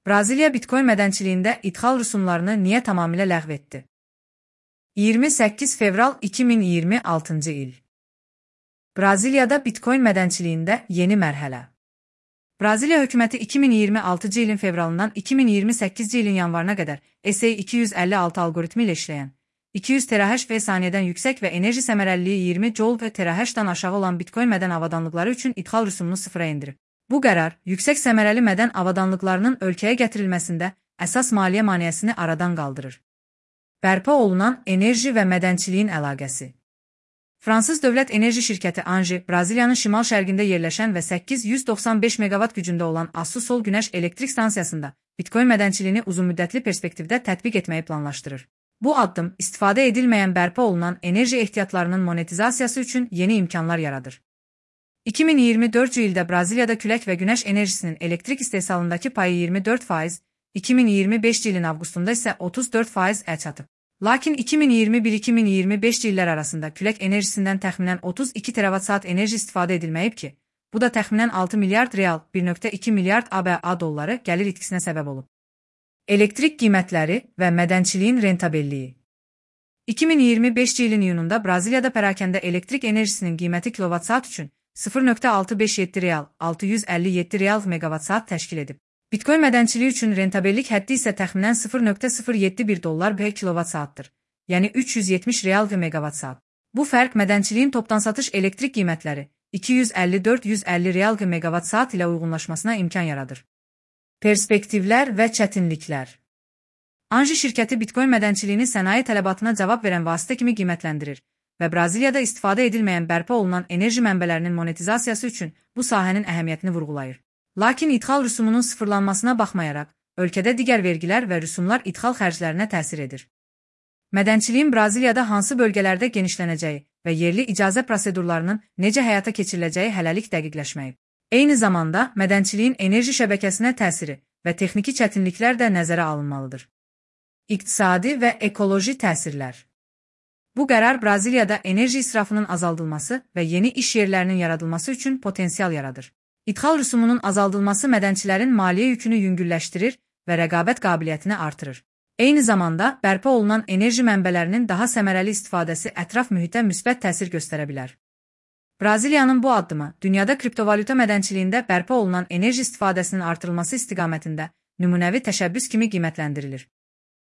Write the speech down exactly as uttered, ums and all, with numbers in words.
Braziliya Bitcoin mədənçiliyində idxal rüsumlarını niyə tamamilə ləğv etdi? iyirmi səkkiz fevral iki min iyirmi altıncı il. Braziliyada Bitcoin mədənçiliyində yeni mərhələ. Braziliya hökuməti iki min iyirmi altıncı ilin fevralından iki min iyirmi səkkizinci ilin yanvarına qədər S A iki yüz əlli altı alqoritmi ilə işləyən, iki yüz terahash və saniyədən yüksək və enerji səmərəliliyi iyirmi joule və terahashdan aşağı olan Bitcoin mədən avadanlıqları üçün idxal rüsumunu sıfıra endirib. Bu qərar, yüksək səmərəli mədən avadanlıqlarının ölkəyə gətirilməsində əsas maliyyə maneəsini aradan qaldırır. Bərpa olunan enerji və mədənçiliyin əlaqəsi. Fransız dövlət enerji şirkəti Engie, Braziliyanın şimal-şərqində yerləşən və səkkiz yüz doxsan beş meqavat gücündə olan Açu Sol günəş elektrik stansiyasında Bitcoin mədənçiliyini uzunmüddətli perspektivdə tətbiq etməyi planlaşdırır. Bu addım, istifadə edilməyən bərpa olunan enerji ehtiyatlarının monetizasiyası üçün yeni imkanlar yaradır. iki min iyirmi dördüncü ildə Braziliyada külək və günəş enerjisinin elektrik istehsalındakı payı iyirmi dörd faiz, iki min iyirmi beşinci ilin avqustunda isə otuz dörd faiz-ə çatıb. Lakin iki min iyirmi bir iki min iyirmi beşinci illər arasında külək enerjisindən təxminən otuz iki teravat saat enerji istifadə edilməyib ki, bu da təxminən altı milyard real, bir nöqtə iki milyard A B A dolları gəlir itkisinə səbəb olub. Elektrik qiymətləri və mədənçiliyin rentabelliyi. iki min iyirmi beşinci ilin iyununda Braziliyada pərakəndə elektrik enerjisinin qiyməti kilovat saat üçün sıfır nöqtə altı beş yeddi real, altı yüz əlli yeddi real megavat saat təşkil edib. Bitcoin mədənçiliyi üçün rentabellik həddi isə təxminən sıfır nöqtə sıfır yeddi bir dollar per kilovat saatdır, yəni üç yüz yetmiş real megavat saat. Bu fərq mədənçiliyin topdan satış elektrik qiymətləri iki yüz əlli dörd yüz əlli real megavat saat ilə uyğunlaşmasına imkan yaradır. Perspektivlər və çətinliklər. Engie şirkəti Bitcoin mədənçiliyini sənaye tələbatına cavab verən vasitə kimi qiymətləndirir və Braziliyada istifadə edilməyən bərpa olunan enerji mənbələrinin monetizasiyası üçün bu sahənin əhəmiyyətini vurğulayır. Lakin idxal rüsumunun sıfırlanmasına baxmayaraq, ölkədə digər vergilər və rüsumlar idxal xərclərinə təsir edir. Mədənçiliyin Braziliyada hansı bölgələrdə genişlənəcəyi və yerli icazə prosedurlarının necə həyata keçiriləcəyi hələlik dəqiqləşməyib. Eyni zamanda, mədənçiliyin enerji şəbəkəsinə təsiri və texniki çətinliklər də nəzərə alınmalıdır. İqtisadi və ekoloji təsirlər. Bu qərar Braziliyada enerji israfının azaldılması və yeni iş yerlərinin yaradılması üçün potensial yaradır. İdxal rüsumunun azaldılması mədənçilərin maliyyə yükünü yüngülləşdirir və rəqabət qabiliyyətini artırır. Eyni zamanda, bərpa olunan enerji mənbələrinin daha səmərəli istifadəsi ətraf mühitə müsbət təsir göstərə bilər. Braziliyanın bu addımı, dünyada kriptovalyuta mədənçiliyində bərpa olunan enerji istifadəsinin artırılması istiqamətində nümunəvi təşəbbüs kimi qiymətləndirilir.